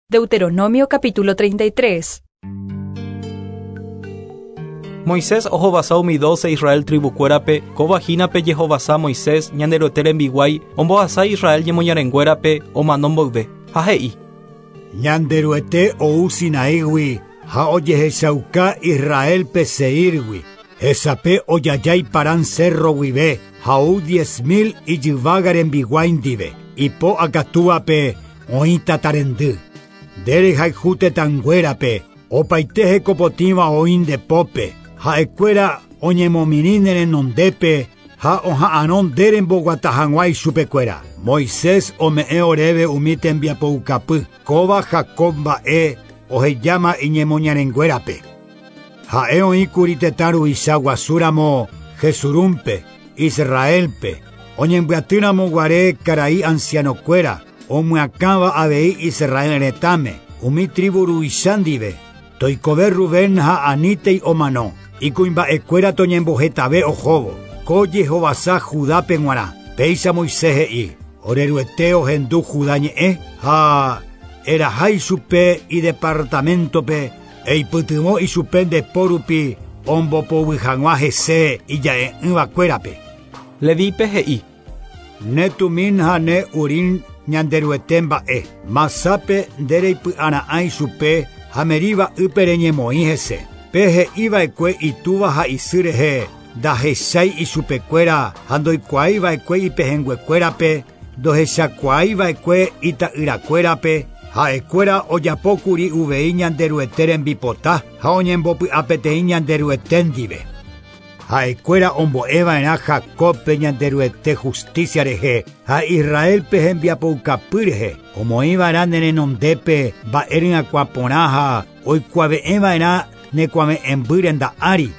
Deuteronomio capítulo 33. Moisés ohovasa umi dóse Israel tribukuérape, kóva hína pe jehovasa Moisés, Ñanderuete rembiguái, ombohasa Israel ñemoñarenguérape omano mboyve. Ha he'i. Ñanderuete ou Sinaígui ha ojehechauka Israélpe Seírgui. Hesape ojajái Parán cérro guive ha ou 10.000 ijyvága rembiguái ndive. Ipo akatúvape oĩ tatarendy. Nde rehayhu tetãnguérape, opaite hekopotĩva oĩ nde pópe, ha'ekuéra oñemomirĩ ne renondépe ha oha'arõ nde remboguata hag̃ua ichupekuéra. Moisés ome'ẽ oréve umi tembiapoukapy, kóva Jacob mba'e ohejáma iñemoñarenguérape. Ha'e oĩkuri tetã ruvicha guasúramo Jesurúnpe, Israélpe, oñembyatýramo guare karai ancianokuéra, omyakãva avei Israel retãme, umi tribu ruvicha ndive, toikove Rubén ha anítei omano, ikuimba'ekuéra toñembohetave ohóvo, ko jehovasa Judápe g̃uarã. Péicha Moisés he'i, Oreruete ohendu Judá ñe'ẽ ha eraha ichupe idepartaméntope eipytyvõ ichupe nde po rupi ombopoguy hag̃ua hese ija'e'ỹvakuérape. Levípe he'i. Ne Tumín ha ne Urín Ñanderuete mba'e, Masápe nde reipy'ara'ã ichupe ha Meriba ýpe reñemoĩ hese. Pe he'iva'ekue itúva ha isy rehe ndahechái ichupekuéra ha ndoikuaiva'ekue ipehẽnguekuérape, ndohechakuaaiva'ekue ita'yrakuérape, ha'ekuéra ojapókuri uvei Ñanderuete rembipota ha oñembopy'apeteĩ Ñanderuete ndive. Ha'ekuéra ombo'eva'erã Jacobpe Ñanderuete justicia rehe ha Israélpe hembiapoukapy rehe, omoĩva'erã ne renondépe mba'e ryakuã porã ha oikuave'ẽva'erã ne kuave'ẽmby renda ári.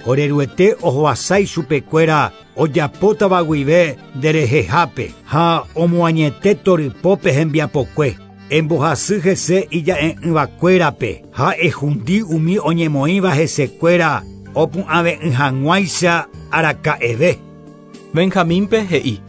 Oreruete ohovasa ichupekuéra ojapótava guive nderehehápe ha omoañete torypópe hembiapokue. Embohasy hese ija'e'ỹvakuérape ha ehundi umi oñemoĩva hesekuéra opu'ãve'ỹ hag̃uáicha araka'eve. Benjamínpe he'i.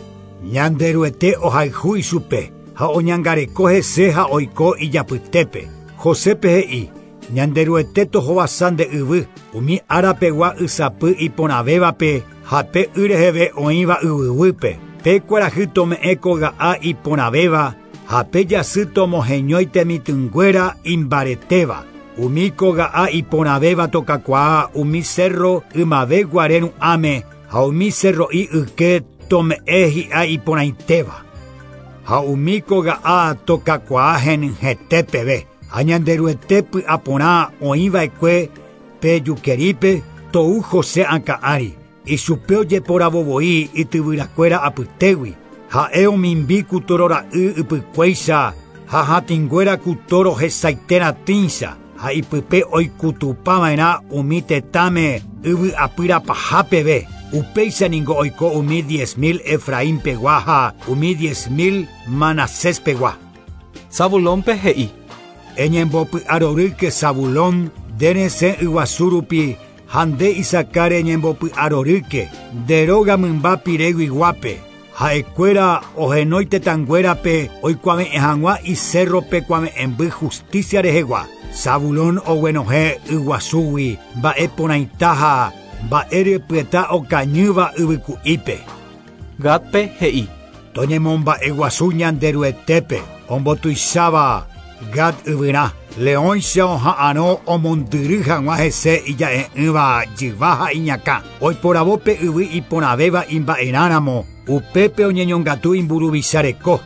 Ñanderuete ohayhu ichupe ha oñangareko hese ha oiko ijapytépe. Josépe he'i, Ñanderuete tohovasa nde yvy, umi árapegua ysapy iporãvévape ha pe y reheve oĩva yvyguýpe. Pe kuarahy tome'ẽ koga'a iporãvéva ha pe jasy tomoheñói temitỹnguéra imbaretéva. Umi koga'a iporãvéva tokakuaa umi cerro ymave guare ru'ãme ha umi cerro'i yke tome'ẽ hi'a iporãitéva. Ha umi koga'a tokakuaa henyhẽte peve. Ha Ñanderuete py'aporã oĩva'ekue pe jukerípe tou José akã ári. Ichupe ojeporavovoi ityvyrakuéra apytégui. Ha'e omimbi ku toro ra'y ypykuéicha ha hatĩnguéra ku toro hesaite ratĩcha ha ipype oikutupava'erã umi tetãme yvy'apyrapaha peve. Upéicha ningo oiko umi 10.000 Efraín pegua ha umi 10.000 Manasés pegua. Zabulónpe he'i. Eñembopy'arorýke Zabulón, nde resẽ yguasu rupi ha nde Isacar eñembopy'arorýke, nde róga mymba pireguiguápe. Ha'ekuéra ohenói tetãnguérape oikuave'ẽ hag̃ua icérrope kuave'ẽmby justicia rehegua. Zabulón oguenohẽ yguasúgui mba'e porãita ha mba'e ryepyeta okañýva yvyku'ípe. Gádpe he'i. Toñemomba'eguasu Ñanderuetépe ombotuicháva Gad yvyrã, leõicha oha'arõ omondyry hag̃ua hese ija'e'ỹva jyva ha iñakã. Oiporavo pe yvy iporãvéva imba'erãramo, upépe oñeñongatu imburuvicha reko.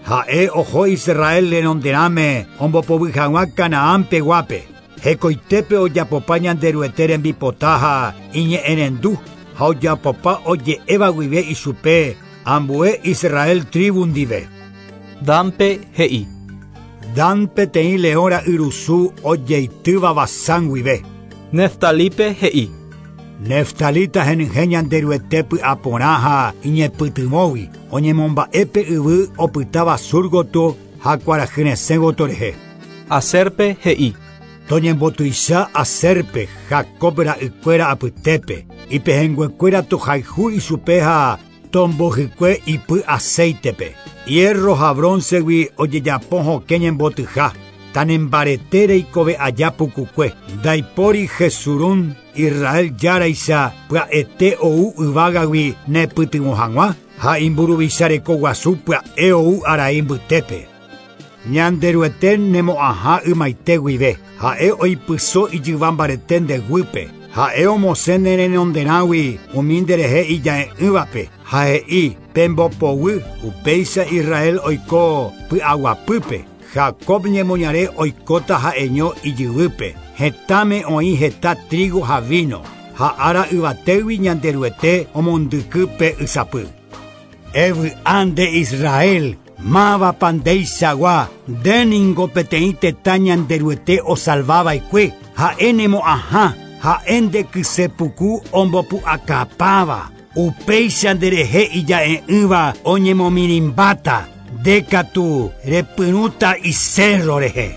Ha'e oho Israel renonderãme ombopoguy hag̃ua Canaán peguápe. Hekoitépe ojapopa Ñanderuete rembipota ha iñe'ẽrendu ha ojapopa oje'éva guive ichupe ambue Israel tribu ndive. Dánpe he'i. Dan peteĩ leõ ra'yrusu ojeitýva Basán guive. Neftalípe he'i. Neftalita henyhẽ Ñanderuete py'aporã ha iñepytyvõgui, oñemomba'e pe yvy opytáva sur gotyo ha kuarahy resẽ gotyo rehe. Asérpe he'i. Toñembotuicha Asérpe, Jacob ra'ykuéra apytépe, ipehẽnguekuéra tohayhu ichupe ha tombohykue ipy aceitepe. Hierro ha broncegui ojejapo hokẽ ñembotyha. Tanembarete reikove aja pukukue. Ndaipóri Jesurún Israel járaicha pya'ete ou yvágagui nepytyvõ hag̃ua ha imburuvicha rekoguasu pya'e ou arai mbytépe. Ñanderuete nemo'ãha ymaite guive. Ha'e oipyso ijyva mbarete ndeguýpe. Ha'e omosẽ ne renonderãgui umi nderehe ija'e'ỹvape. Ha he'i pembopoguy upéicha Israel oiko py'aguapýpe. Jacob ñemoñare oikóta ha'eño ijyvýpe. Hetãme oĩ heta trigo ha vino. Ha ára yvatégui Ñanderuete omondyky pe ysapy. Evy'a nde Israel, mávapa ndeichagua, ndéningo peteĩ tetã Ñanderuete osalvava'ekue, ha'e nemo'ãha, ha'e nde kysepuku ombopu'akapáva. Upéicha nderehe ija'e'ỹva oñemomirĩmbáta, ndekatu repyrũta icerro rehe.